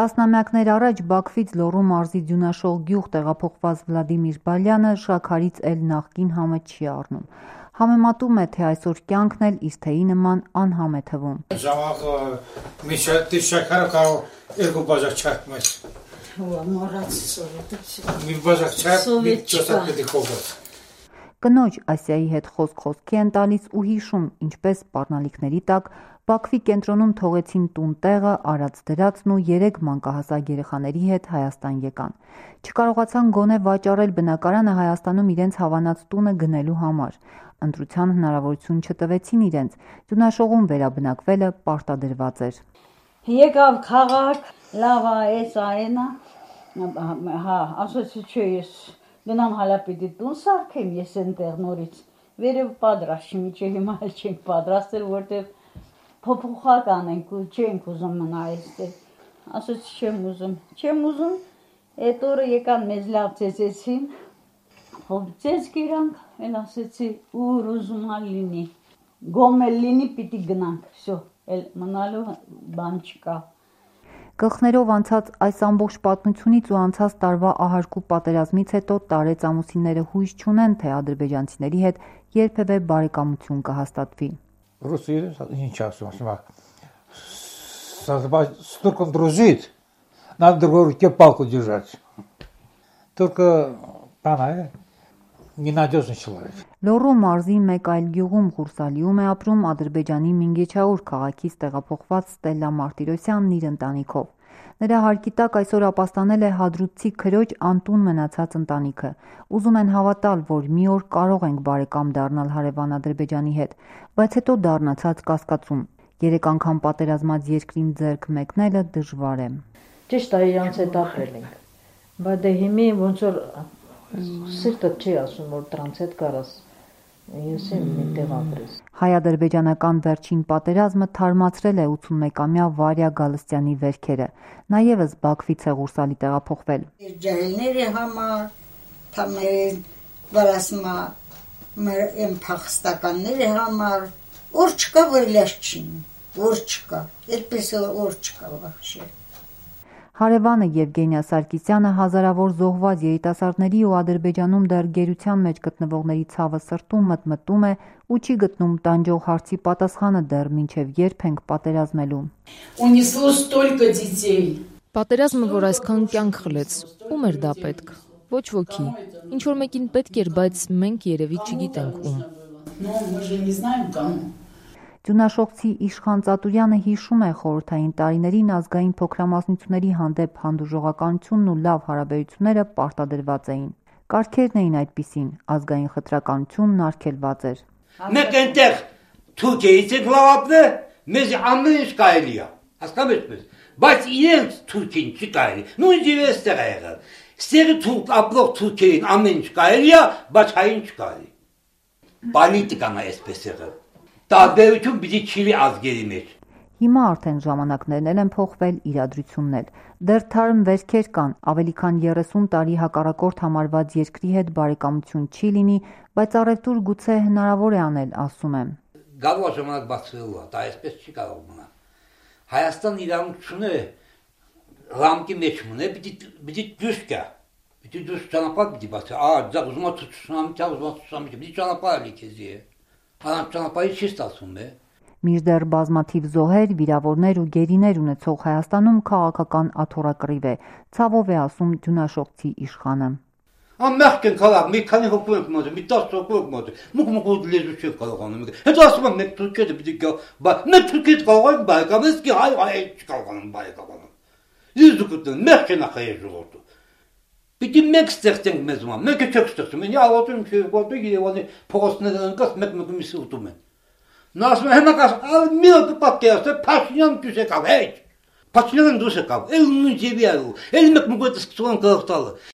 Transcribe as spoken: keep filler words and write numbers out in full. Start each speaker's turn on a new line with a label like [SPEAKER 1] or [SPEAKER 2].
[SPEAKER 1] Տասնամյակներ առաջ Բաքվից Լոռու մարզի Ձյունաշող գյուղ տեղափոխված Վլադիմիր Բալյանը շաքարից էլ նախկին համը չի առնում։ Համեմատում է, թե այսօր կյանքն էլ իր թեյի նման անհամ է թվում։
[SPEAKER 2] Ժամանակը մի շաքարը կարող երկու բաժակ չարթ մեզ։ Մի բաժակ չարթ, մի չոսակ պետք է խոբոց։
[SPEAKER 1] Կնոջ Ասիայի հետ խոսք խոսքի են տալիս ու հիշում, ինչպես սպառնալիքների տակ Բաքվի կենտրոնում թողեցին տուն տեղը, արած դրածն ու երեք մանկահասակ երեխաների հետ Հայաստան եկան։ Չկարողացան գոնե վաճառել բնակարանը Հայաստանում իրենց հավանած տունը գնելու համար։ Ընտրության հնարավորություն չտվեցին իրենց, Ձյունաշողում վերաբնակվելը պարտադրված էր։
[SPEAKER 3] Եկավ քաղաք, լավ է, էս այնա, հա, ասացի չէ, ես գնամ հալա պիտի տուն սարքեմ ես այնտեղ նորից։ Վերև պատրաստ չի, միջի հիմա էլ չենք պատրաստել, որտեղ փոփոխակ անենք ու չենք ուզում մնա այստեղ։ Ասացի չեմ ուզում, չեմ ուզում, այդ օրը եկան մեզ լավ ծեծեցին, ծեծ գիրանք, էլ ասեցի ուր ուզում ալ լինի, գոմել լինի պիտի գնանք, վсё, էլ մնալու բան չկա։
[SPEAKER 1] Գլխներով անցած այս ամբողջ պատմությունից ու անցած տարվա ահարկու պատերազմից հետո տարեց ամուսինները հույս չունեն, թե ադրբեջանցիների հետ երբևէ բարեկամություն կհաստատվի։
[SPEAKER 2] Ռուսիա ինչ ասում, ասում է, с турком дружить, надо друг руке палку держать. Только она ненадежный человек.
[SPEAKER 1] Լոռու մարզի մեկ այլ գյուղում Ղուրսալիում է ապրում Ադրբեջանի Մինգեչաուր քաղաքից տեղափոխված Ստելլա Մարտիրոսյանն իր ընտանիքով։ Նրա հարկի տակ այսօր ապաստանել է հադրութցի քրոջ անտուն մնացած ընտանիքը։ Ուզում են հավատալ, որ մի օր կարող ենք բարեկամ դառնալ հարևան Ադրբեջանի հետ, բայց հետո դառնացած կասկածում։ Երեք անգամ պատերազմած երկրին ձեռք մեկնելը դժվար է։
[SPEAKER 4] Ճիշտ է, իրանց հետ ապրել ենք, բայց դե հիմի ոնց որ սիրտը չի ասում, որ դրանց հետ կարաս ես եմ միտեղ ապրես։
[SPEAKER 1] Հայ-ադրբեջանական վերջին պատերազմը թարմացրել է ութսունմեկամյա Վարյա Գալստյանի վերքերը։ Նա ևս Բաքվից է Ղուրսալի տեղափոխվել։
[SPEAKER 5] Ջահելների համար, թամերին վարասմա մեր եմ փախստականների համար, որ չկա վայլաշ չին, որ չկա, այդպես որ չկա վախշե։
[SPEAKER 1] Հարևանը Եվգենիա Սարգսյանը հազարավոր զոհված երիտասարդների ու Ադրբեջանում դեռ գերության մեջ գտնվողների ցավը սրտում մտմտում է ու չի գտնում տանջող հարցի պատասխանը դեռ մինչև երբ ենք պատերազմելու։
[SPEAKER 6] Ունесло столько детей.
[SPEAKER 7] Պատերազմը, որ այսքան կյանք խլեց, ում էր դա պետք։ Ոչ ոքի։ Ինչ որ մեկին պետք էր, բայց մենք երևի չգիտենք ում։
[SPEAKER 6] Но мы же не знаем кому.
[SPEAKER 1] Ձյունաշողցի Իշխան Ծատուրյանը հիշում է խորհրդային տարիներին ազգային փոքրամասնությունների հանդեպ հանդուրժողականությունն ու լավ հարաբերությունները պարտադրված էին։ Կարգերն էին այդպիսին, ազգային խտրականությունն արգելված էր։
[SPEAKER 8] Մենք այնտեղ Թուրքիայից ենք լավապը, մեզ ամեն ինչ կարելի է, հասկանում եք, բայց իրենց Թուրքին չի կարելի, նույնիսկ եւ այստեղ է եղել։ Ստեղ թուրք ապրող Թուրքին ամեն ինչ կարելի է, բայց հային չկարելի։ Պոլիտիկան է այսպես եղել։ Տարբերություն պիտի չլինի ազգերի մեջ։
[SPEAKER 1] Հիմա արդեն ժամանակներն են փոխվել, իրադրությունն էլ։ Դեռ թարմ վերքեր կան, ավելի քան երեսուն տարի հակառակորդ համարված երկրի հետ բարեկամություն չի լինի, բայց առևտուր գուցե հնարավոր է անել, ասում եմ։
[SPEAKER 8] Գալու ժամանակ բացվելու է, դա այսպես չի կարող մնալ։ Հայաստան իրավունքությունը ռամկի մեջ մնա, պիտի պիտի դուրս գա։ Պիտի դուրս ճանապարհ պիտի բացի։ Ա, դա ուզում է ցուցանամ, դա ուզում է ցուցանամ, պիտի ճանապարհ լիքեզի։ Անց ճանապարհի չի ստացվում է։
[SPEAKER 1] Մինչդեռ բազմաթիվ զոհեր, վիրավորներ ու գերիներ ունեցող Հայաստանում քաղաքական աթոռակռիվ է, ցավով է ասում Ձյունաշողցի Իշխանը։
[SPEAKER 8] Ամերիկ են կարող, մի քանի հոգու ենք մոտ, մի տասը հոգու ենք մոտ, մուկ մուկ լեզու չեն կարողանում։ Հետո ասում եմ, մենք Թուրքիա պիտի գա, բայց մենք Թուրքիա կարող ենք բարեկամել, իսկ հայ հայ չկարողանում բարեկամանալ։ Ես դուք մենք չեն ախայ ժողովուրդ։ Պիտի մենք ստեղծենք մեզ մոտ, մենք չենք ստեղծում, ինձ ալոտում չի, որտեղ Երևանի փողոցները ընկած մեկ մեկ մի սուտում են։ Նա ասում է հիմա կաս, մի օր պատկերացրե, Փաշինյան դուրս եկավ, հեչ։ Փաշինյանը դուրս եկավ, էլ նույն ձևի արու, էլ մեկ մեկ սկսում են գողտալը։